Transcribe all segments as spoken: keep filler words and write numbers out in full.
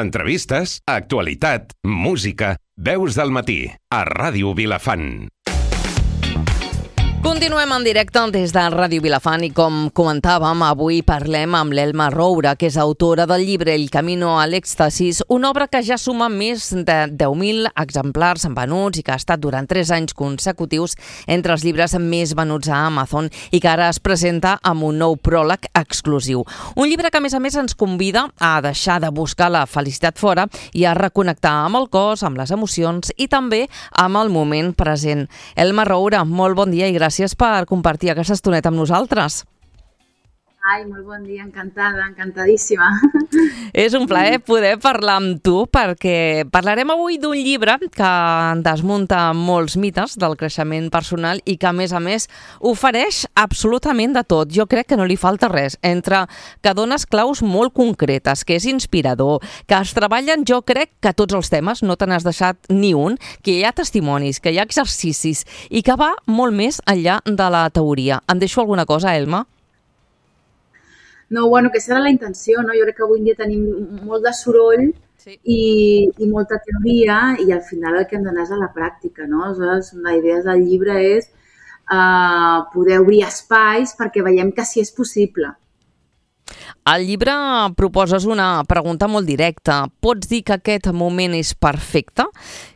entrevistes, actualitat, música, veus del matí, a Ràdio Vilafant. Continuem en directe des de Ràdio Vilafant i com comentàvem, avui parlem amb l'Elma Roura, que és autora del llibre El camino al éxtasis, una obra que ja suma més de deu mil exemplars venuts i que ha estat durant tres anys consecutius entre els llibres més venuts a Amazon i que ara es presenta amb un nou pròleg exclusiu. Un llibre que a més a més ens convida a deixar de buscar la felicitat fora i a reconnectar amb el cos, amb les emocions i també amb el moment present. Elma Roura, molt bon dia i gràcies Gràcies per compartir aquesta estoneta amb nosaltres. Ai, molt bon dia, encantada, encantadíssima. És un plaer poder parlar amb tu perquè parlarem avui d'un llibre que desmunta molts mites del creixement personal i que, a més a més, ofereix absolutament de tot. Jo crec que no li falta res. Entre que dones claus molt concretes, que és inspirador, que es treballen, jo crec que tots els temes, no te n'has deixat ni un, que hi ha testimonis, que hi ha exercicis i que va molt més enllà de la teoria. Em deixo alguna cosa, Elma? No, bueno, que serà la intenció, no? Jo crec que avui en dia tenim molt de soroll sí. i, i molta teoria i al final el que hem d'anar és a la pràctica, no? Aleshores, la idea del llibre és uh, poder obrir espais perquè veiem que sí és possible. Al llibre proposes una pregunta molt directa. Pots dir que aquest moment és perfecte?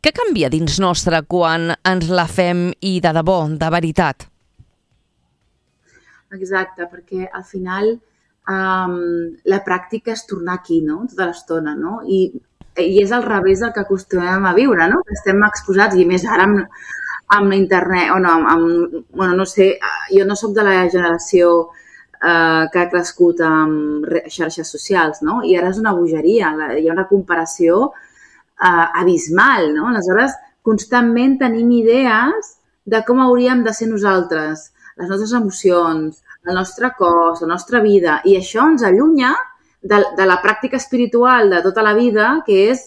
Què canvia dins nostre quan ens la fem i de debò, de veritat? Exacte, perquè al final Um, la pràctica és tornar aquí, no? Tota l'estona, no? I, i és al revés del que acostumem a viure, no? Que estem exposats, i més ara amb, amb internet, o no, amb, amb, bueno, no sé, jo no sóc de la generació uh, que ha crescut amb xarxes socials, no? I ara és una bogeria, hi ha una comparació uh, abismal, no? Aleshores, constantment tenim idees de com hauríem de ser nosaltres, les nostres emocions, el nostre cos, la nostra vida, i això ens allunya de, de la pràctica espiritual de tota la vida, que és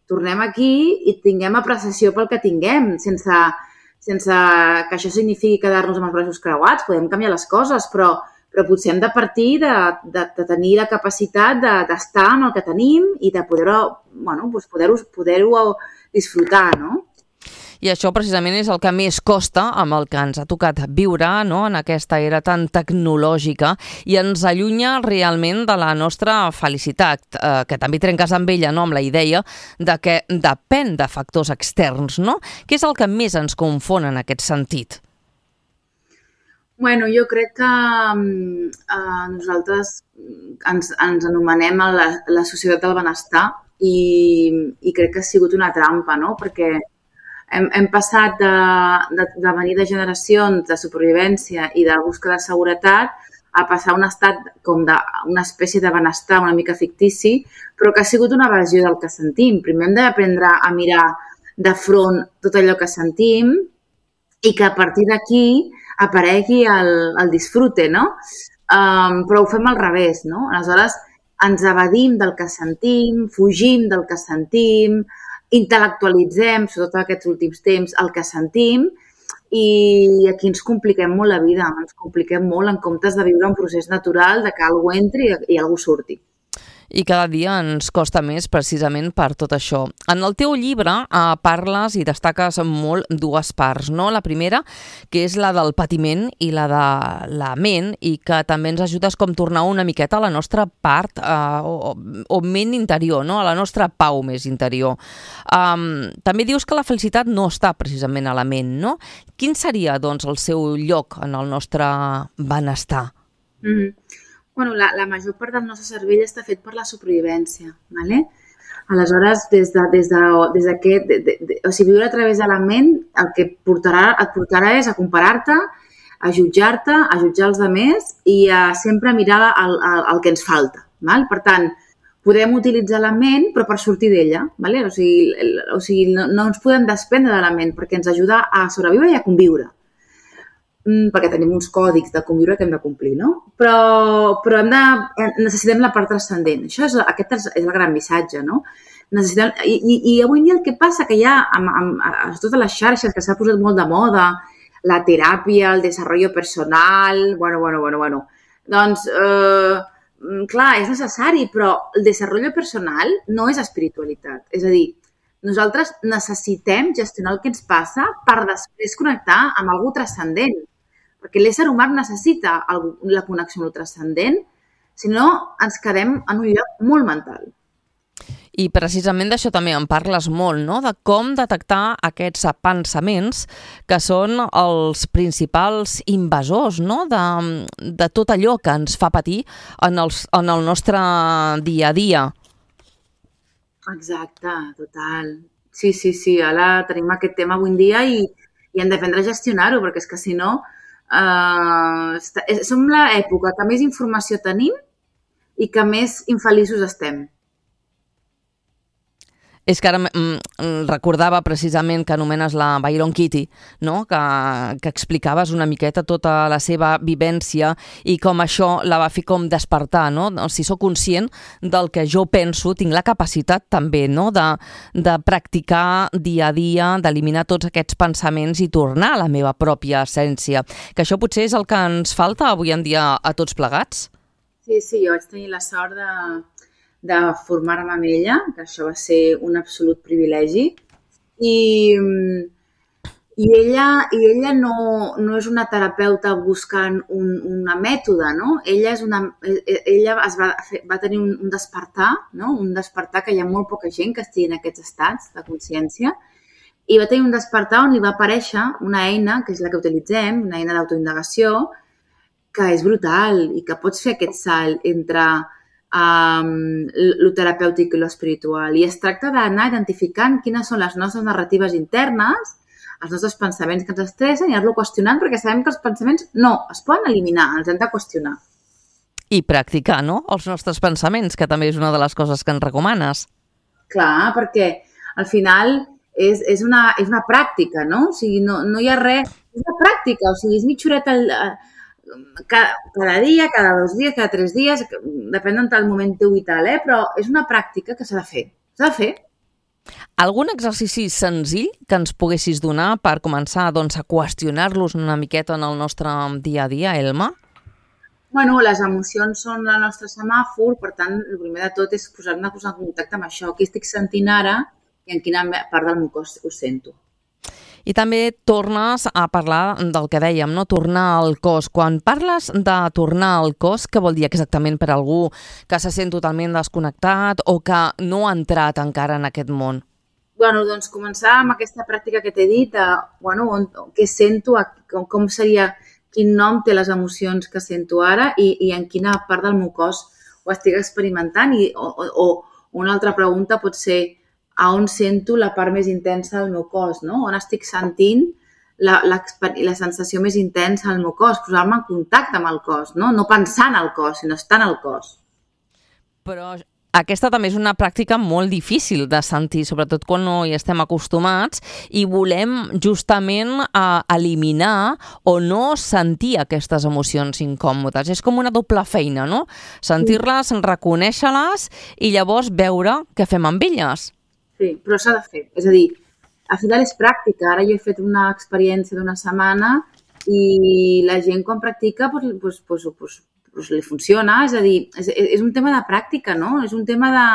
tornem aquí i tinguem apreciació pel que tinguem, sense, sense que això signifiqui quedar-nos amb els braços creuats, podem canviar les coses, però, però potser hem de partir de, de, de tenir la capacitat de, d'estar amb el que tenim i de poder-ho, bueno, doncs poder-ho, poder-ho disfrutar, no? I això precisament és el que més costa amb el que ens ha tocat viure, no?, en aquesta era tan tecnològica i ens allunya realment de la nostra felicitat, eh, que també trenques amb ella, no?, amb la idea de que depèn de factors externs, no? Què és el que més ens confon en aquest sentit? Bueno, jo crec que eh, nosaltres ens, ens anomenem la, la societat del benestar i, i crec que ha sigut una trampa, no?, perquè Hem, hem passat de, de, de venir de generacions de supervivència i de búsqueda de seguretat a passar a un estat com de, una espècie de benestar una mica fictici, però que ha sigut una evasió del que sentim. Primer hem d'aprendre a mirar de front tot allò que sentim i que a partir d'aquí aparegui el, el disfrute, no? Um, però ho fem al revés, no? Aleshores, ens evadim del que sentim, fugim del que sentim, intel·lectualitzem, sobretot aquests últims temps, el que sentim i aquí ens compliquem molt la vida, ens compliquem molt en comptes de viure un procés natural de que algú entri i algú surti. I cada dia ens costa més precisament per tot això. En el teu llibre eh, parles i destaques molt dues parts, no? La primera, que és la del patiment i la de la ment i que també ens ajudes com tornar una miqueta a la nostra part eh, o, o ment interior, no? A la nostra pau més interior. Um, també dius que la felicitat no està precisament a la ment, no? Quin seria, doncs, el seu lloc en el nostre benestar? Mm-hmm. Bueno, la, la major part del nostre cervell està fet per la supervivència, ¿vale? Aleshores, des de, des de, des de que, de, de, de, o sigui, viure a través de la ment el que portarà, et portarà és a comparar-te, a jutjar-te, a jutjar els altres i a sempre mirar el, el, el que ens falta, ¿vale? Per tant, podem utilitzar la ment però per sortir d'ella, ¿vale? O sigui, el, o sigui no, no ens podem desprendre de la ment perquè ens ajuda a sobreviure i a conviure. Perquè tenim uns còdics de conviure que hem de complir, no? Però, però hem de, necessitem la part transcendent. Això és, aquest és el gran missatge, no? Necessitem, i, i, I avui en dia el que passa que hi ha amb, amb, amb totes les xarxes que s'ha posat molt de moda, la teràpia, el desenvolupament personal, bueno, bueno, bueno, bueno. Doncs eh, clar, és necessari, però el desenvolupament personal no és espiritualitat. És a dir, nosaltres necessitem gestionar el que ens passa per després connectar amb algú transcendent. Perquè l'ésser humà necessita la connexió amb el transcendent, si no ens quedem en un lloc molt mental. I precisament d'això també en parles molt, no? De com detectar aquests pensaments que són els principals invasors, no? de, de tot allò que ens fa patir en, els, en el nostre dia a dia. Exacte, total. Sí, sí, sí, ara tenim aquest tema avui en dia i, i hem d'aprendre a gestionar-ho, perquè és que si no, eh, som l'època que més informació tenim i que més infeliços estem. És que ara mm, recordava precisament que anomenes la Byron Katie, no? que, que explicaves una miqueta tota la seva vivència i com això la va fer com despertar, no? Si sóc conscient del que jo penso, tinc la capacitat també, no? de, de practicar dia a dia, d'eliminar tots aquests pensaments i tornar a la meva pròpia essència. Que això potser és el que ens falta avui en dia a tots plegats? Sí, sí, jo vaig tenir la sort de... de formar-me amb ella, que això va ser un absolut privilegi. I, i ella, i ella no, no és una terapeuta buscant un, una mètode, no? Ella, és una, ella es va, fer, va tenir un, un despertar, no? Un despertar que hi ha molt poca gent que estigui en aquests estats de consciència, i va tenir un despertar on li va aparèixer una eina, que és la que utilitzem, una eina d'autoindagació, que és brutal i que pots fer aquest salt entre Um, lo terapèutic i lo espiritual. I es tracta d'anar identificant quines són les nostres narratives internes, els nostres pensaments que ens estressen i anar-lo qüestionant, perquè sabem que els pensaments no es poden eliminar, els hem de qüestionar. I practicar, no?, els nostres pensaments, que també és una de les coses que ens recomanes. Clar, perquè al final és, és, una, és una pràctica, no? O sigui, no, no hi ha res... És una pràctica, o sigui, és mitja horeta al... Cada, cada dia, cada dos dies, cada tres dies, depèn del moment teu i tal, eh? Però és una pràctica que s'ha de fer. S'ha de fer. Algun exercici senzill que ens poguessis donar per començar doncs, a qüestionar-los una miqueta en el nostre dia a dia, Elma? Bueno, les emocions són el nostre semàfor, per tant, el primer de tot és posar-me en contacte amb això. Què estic sentint ara i en quina part del meu cos ho sento. I també tornes a parlar del que dèiem, no? Tornar al cos. Quan parles de tornar al cos, què vol dir exactament per algú que se sent totalment desconnectat o que no ha entrat encara en aquest món? Bueno, doncs començar amb aquesta pràctica que t'he dit, de, bueno, on, què sento, com, com seria, quin nom té les emocions que sento ara i, i en quina part del meu cos ho estic experimentant. I, o, o una altra pregunta pot ser a on sento la part més intensa del meu cos, no? On estic sentint la, la, la sensació més intensa del meu cos, posar-me en contacte amb el cos, no? No pensar en el cos, sinó estar en el cos. Però aquesta també és una pràctica molt difícil de sentir, sobretot quan no hi estem acostumats i volem justament eh, eliminar o no sentir aquestes emocions incòmodes. És com una doble feina, no? Sentir-les, reconèixer-les i llavors veure què fem amb elles. Sí, però s'ha de fer. És a dir, al final és pràctica. Ara jo he fet una experiència d'una setmana i la gent quan practica doncs, doncs, doncs, doncs, doncs li funciona. És a dir, és, és un tema de pràctica, no? És un tema de...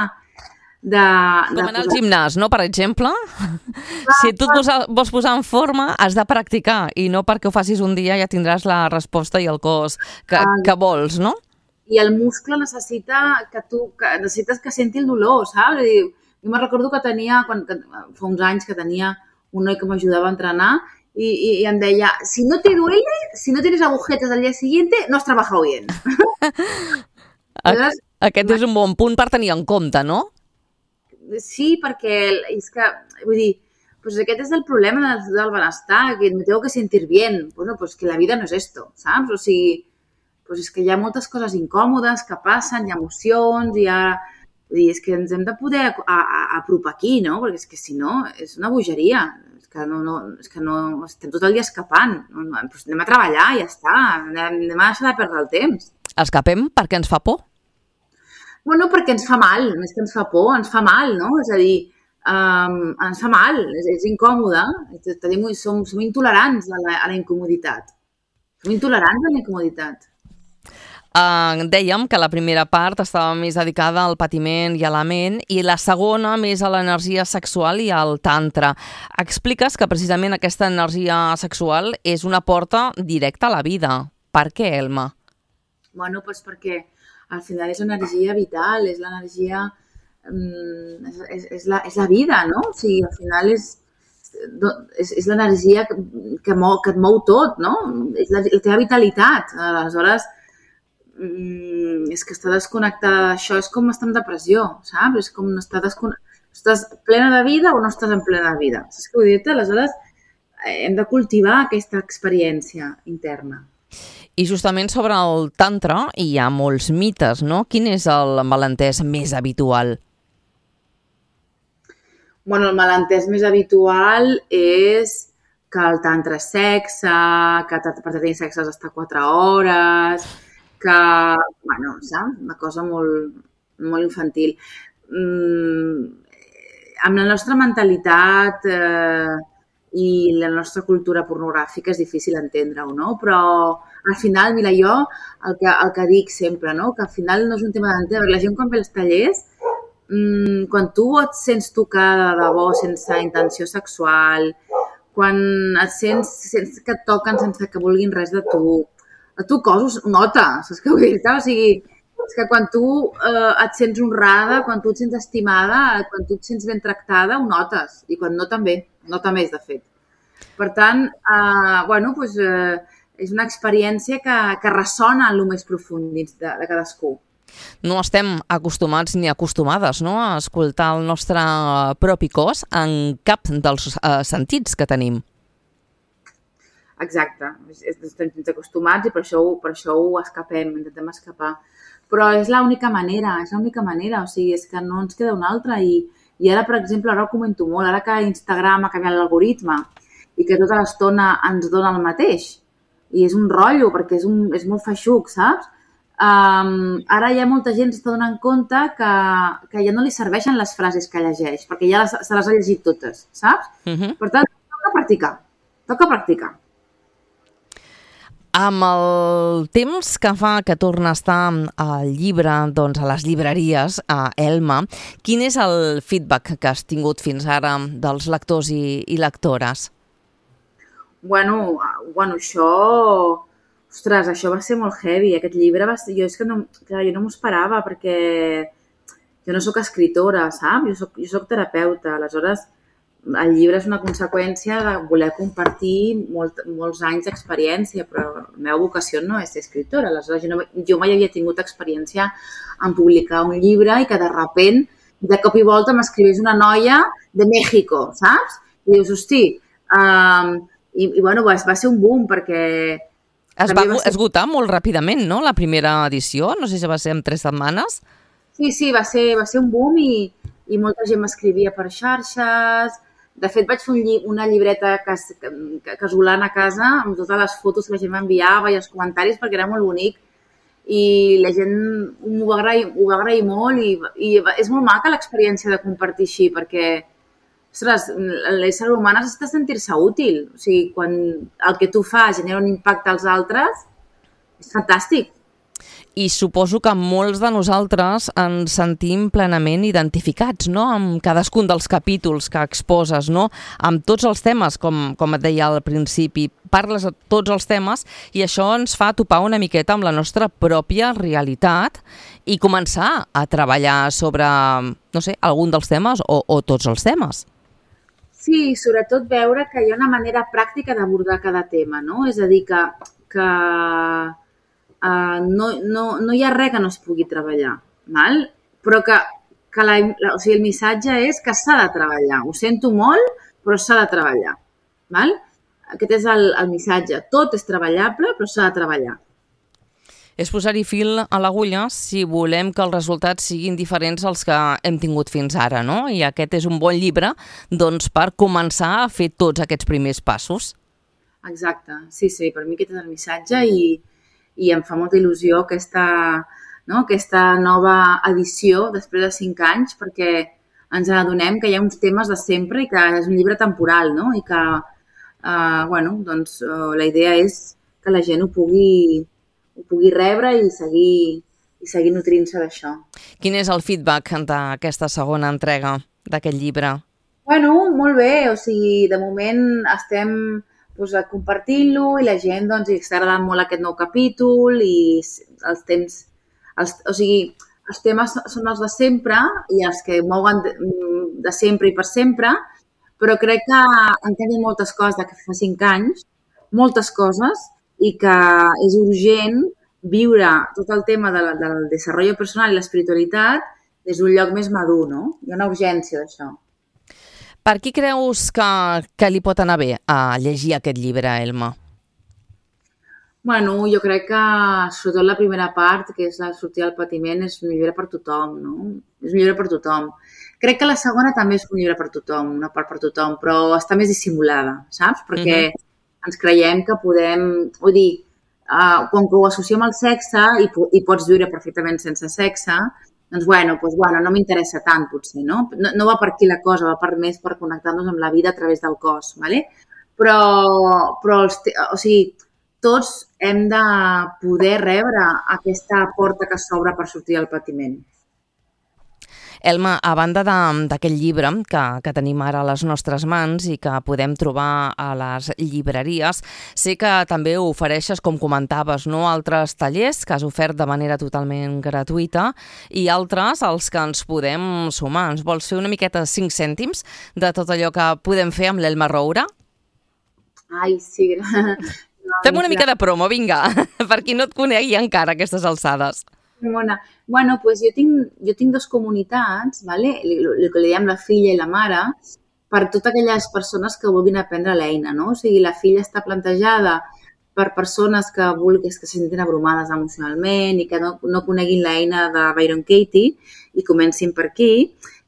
de Com de anar al gimnàs, no? Per exemple. Ah, si tu et vols, vols posar en forma, has de practicar i no perquè ho facis un dia ja tindràs la resposta i el cos que, ah, que vols, no? I el muscle necessita que tu... Que, necessites que senti el dolor, saps? És a dir, jo me'n recordo que tenia, quan, que, fa uns anys que tenia un noi que m'ajudava a entrenar i, i, i em deia, si no te duele, si no tienes agujetas al día siguiente, no has trabajado bien. Entonces, aquest és un bon punt per tenir en compte, no? Sí, perquè és que, vull dir, pues aquest és el problema del, del benestar, que me tengo que sentir bien. Bueno, pues que la vida no és esto, saps? O sigui, pues és que hi ha moltes coses incòmodes que passen, hi ha emocions, hi ha... Vull dir, és que ens hem de poder a, a, apropar aquí, no? Perquè és que si no, és una bogeria. És que no, no, és que no estem tot el dia escapant. No, no, doncs anem a treballar i ja està. Anem, anem a deixar de perdre el temps. Escapem perquè ens fa por? Bueno, perquè ens fa mal. Més que ens fa por, ens fa mal, no? És a dir, um, ens fa mal, és, és incòmode. Tenim, som, som intolerants a la, a la incomoditat. Som intolerants a la incomoditat. Uh, dèiem que la primera part estava més dedicada al patiment i a la ment i la segona més a l'energia sexual i al tantra. Expliques que precisament aquesta energia sexual és una porta directa a la vida. Per què, Elma? Bueno, doncs perquè al final és energia vital, és l'energia... És, és, és, la, és la vida, no? O sigui, al final és, és, és l'energia que, que, mou, que et mou tot, no? És la, la teva vitalitat. Aleshores, és que estar desconnectada d'això és com estar en depressió, saps? És com estar desconnectada. Estàs plena de vida o no estàs en plena de vida? Saps què vull dir-te? Aleshores, hem de cultivar aquesta experiència interna. I justament sobre el tantra hi ha molts mites, no? Quin és el malentès més habitual? Bueno, el malentès més habitual és que el tantra és sexe, que per tenir sexe has d'estar quatre hores, que, bueno, saps? Una cosa molt, molt infantil. Mm, amb la nostra mentalitat eh, i la nostra cultura pornogràfica és difícil entendre-ho, no? Però al final, mira, jo el que, el que dic sempre, no? Que al final no és un tema d'entendre. La gent quan ve als tallers, mmm, quan tu et sents tocada de debò sense intenció sexual, quan et sents, sents que et toquen sense que vulguin res de tu, el teu cos ho nota, saps què vull dir-te? O sigui, és que quan tu eh, et sents honrada, quan tu et sents estimada, quan tu et sents ben tractada, ho notes. I quan no també, no també és de fet. Per tant, eh, bueno, doncs, eh, és una experiència que, que ressona en el més profund dins de, de cadascú. No estem acostumats ni acostumades, no?, a escoltar el nostre propi cos en cap dels eh, sentits que tenim. Exacte. Estem acostumats i per això, per això ho escapem, intentem escapar. Però és l'única manera, és l'única manera, o sigui, és que no ens queda una altra. I, i ara, per exemple, ara ho comento molt, ara que Instagram ha canviat l'algoritme i que tota l'estona ens dona el mateix, i és un rotllo, perquè és, un, és molt feixuc, saps? Um, ara ja molta gent s'està donant compte que, que ja no li serveixen les frases que llegeix, perquè ja les, se les ha llegit totes, saps? Uh-huh. Per tant, toca practicar, toca practicar. Amb el temps que fa que torna a estar al llibre, doncs a les llibreries, a Elma, quin és el feedback que has tingut fins ara dels lectors i, i lectores? Bueno, bueno, això... Ostres, això va ser molt heavy. Aquest llibre va ser... Jo és que no, clar, jo no m'ho esperava perquè jo no sóc escritora, saps? Jo soc, jo soc terapeuta. Aleshores, el llibre és una conseqüència de voler compartir molt, molts anys d'experiència, però la meva vocació no és ser escritora. Aleshores, jo, no, jo mai havia tingut experiència en publicar un llibre i que de repent, de cop i volta, m'escriveix una noia de México, saps? I dius, hosti, um, i, i bueno, va, va ser un boom perquè... Es va, va ser... esgotar molt ràpidament, no?, la primera edició? No sé si va ser en tres setmanes. Sí, sí, va ser, va ser un boom i, i molta gent m'escrivia per xarxes. De fet, vaig fer un lli una llibreta cas casolana a casa amb totes les fotos que la gent m'enviava i els comentaris perquè era molt bonic. I la gent m'ho va agrair, ho va agrair molt i, i és molt maca l'experiència de compartir així perquè, ostres, l'ésser humà necessita sentir-se útil. O sigui, quan el que tu fas genera un impacte als altres, és fantàstic. I suposo que molts de nosaltres ens sentim plenament identificats, no?, amb cadascun dels capítols que exposes, no?, amb tots els temes, com, com et deia al principi. Parles de tots els temes i això ens fa topar una miqueta amb la nostra pròpia realitat i començar a treballar sobre, no sé, algun dels temes o, o tots els temes. Sí, sobretot veure que hi ha una manera pràctica d'abordar cada tema, no? És a dir, que, que uh, no, no, no hi ha res que no es pugui treballar, val? Però que, que la, la, o sigui, el missatge és que s'ha de treballar. Ho sento molt, però s'ha de treballar, val? Aquest és el, el missatge. Tot és treballable, però s'ha de treballar. És posar-hi fil a l'agulla si volem que els resultats siguin diferents als que hem tingut fins ara, no? I aquest és un bon llibre, doncs, per començar a fer tots aquests primers passos. Exacte, sí, sí, per mi aquest és el missatge i, i em fa molta il·lusió aquesta, no, aquesta nova edició després de cinc anys perquè ens adonem que hi ha uns temes de sempre i que és un llibre temporal, no? I que, eh, bueno, doncs, eh, la idea és que la gent ho pugui ho pugui rebre i seguir, i seguir nutrint-se d'això. Quin és el feedback d'aquesta segona entrega d'aquest llibre? Bueno, molt bé, o sigui, de moment estem doncs, compartint-lo i la gent doncs, està agradant molt aquest nou capítol i els temps, els, o sigui, els temes són els de sempre i els que mouen de, de sempre i per sempre, però crec que han canviat moltes coses de que fa cinc anys, moltes coses, i que és urgent viure tot el tema de la, del desenvolupament personal i l'espiritualitat des d'un lloc més madur, no? Hi ha una urgència d'això. Per qui creus que, que li pot anar bé a llegir aquest llibre, Elma? Bueno, jo crec que sobretot la primera part, que és la sortida del patiment, és un llibre per tothom, no? És un llibre per tothom. Crec que la segona també és un llibre per tothom, una part per tothom, però està més dissimulada, saps? Perquè uh-huh. ens creiem que podem... Vull dir, uh, quan ho associem al sexe i, i pots viure perfectament sense sexe, doncs, bueno, doncs, bueno no m'interessa tant, potser, no? no? No va per aquí la cosa, va per més per connectar-nos amb la vida a través del cos, ¿vale? Però, però els, o sigui, tots hem de poder rebre aquesta porta que s'obre per sortir del patiment. Elma, a banda d'aquest llibre que, que tenim ara a les nostres mans i que podem trobar a les llibreries, sé que també ofereixes, com comentaves, no, altres tallers que has ofert de manera totalment gratuïta i altres als que ens podem sumar. Ens vols fer una miqueta cinc cèntims de tot allò que podem fer amb l'Elma Roura? Ai, sí. Fem una mica de promo, vinga, per qui no et conegui encara a aquestes alçades. Bona. Bueno, pues jo tinc, jo tinc dues comunitats, ¿vale? El que li diem la filla i la mare, per totes aquelles persones que vulguin aprendre l'eina, no? O sigui, la filla està plantejada per persones que vulguin, que se sentin abrumades emocionalment i que no, no coneguin l'eina de Byron Katie i comencin per aquí.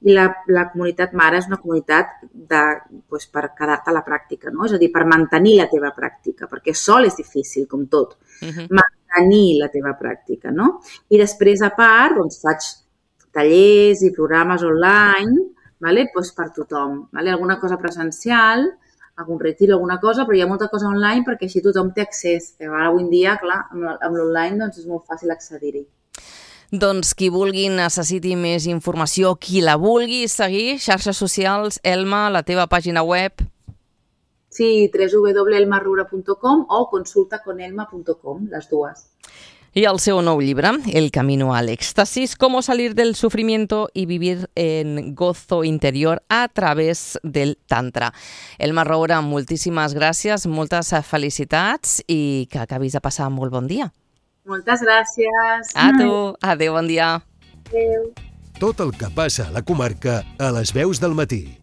I la, la comunitat mare és una comunitat de, pues, per quedar-te a la pràctica, no? És a dir, per mantenir la teva pràctica, perquè sol és difícil, com tot. Uh-huh. Mantenir la teva pràctica, no? I després, a part, doncs, faig tallers i programes online, ¿vale? Pues per tothom, ¿vale? Alguna cosa presencial, algun retir, alguna cosa, però hi ha molta cosa online perquè així tothom té accés. Que ara, avui en dia, clar, amb l'online doncs, és molt fàcil accedir-hi. Doncs qui vulgui, necessiti més informació, qui la vulgui seguir, xarxes socials, Elma, la teva pàgina web... Sí, w w w punt elma roura punt com o consulta con elma punt com, les dues. Y el seu nou llibre, El camino al éxtasis, cómo salir del sufrimiento y vivir en gozo interior a través del tantra. Elma Roura, moltíssimes gràcies, moltes felicitats i que acabis de passar molt bon dia. Moltes gràcies. A tu. Adéu, bon dia. Adéu. Tot el que passa a la comarca a les veus del matí.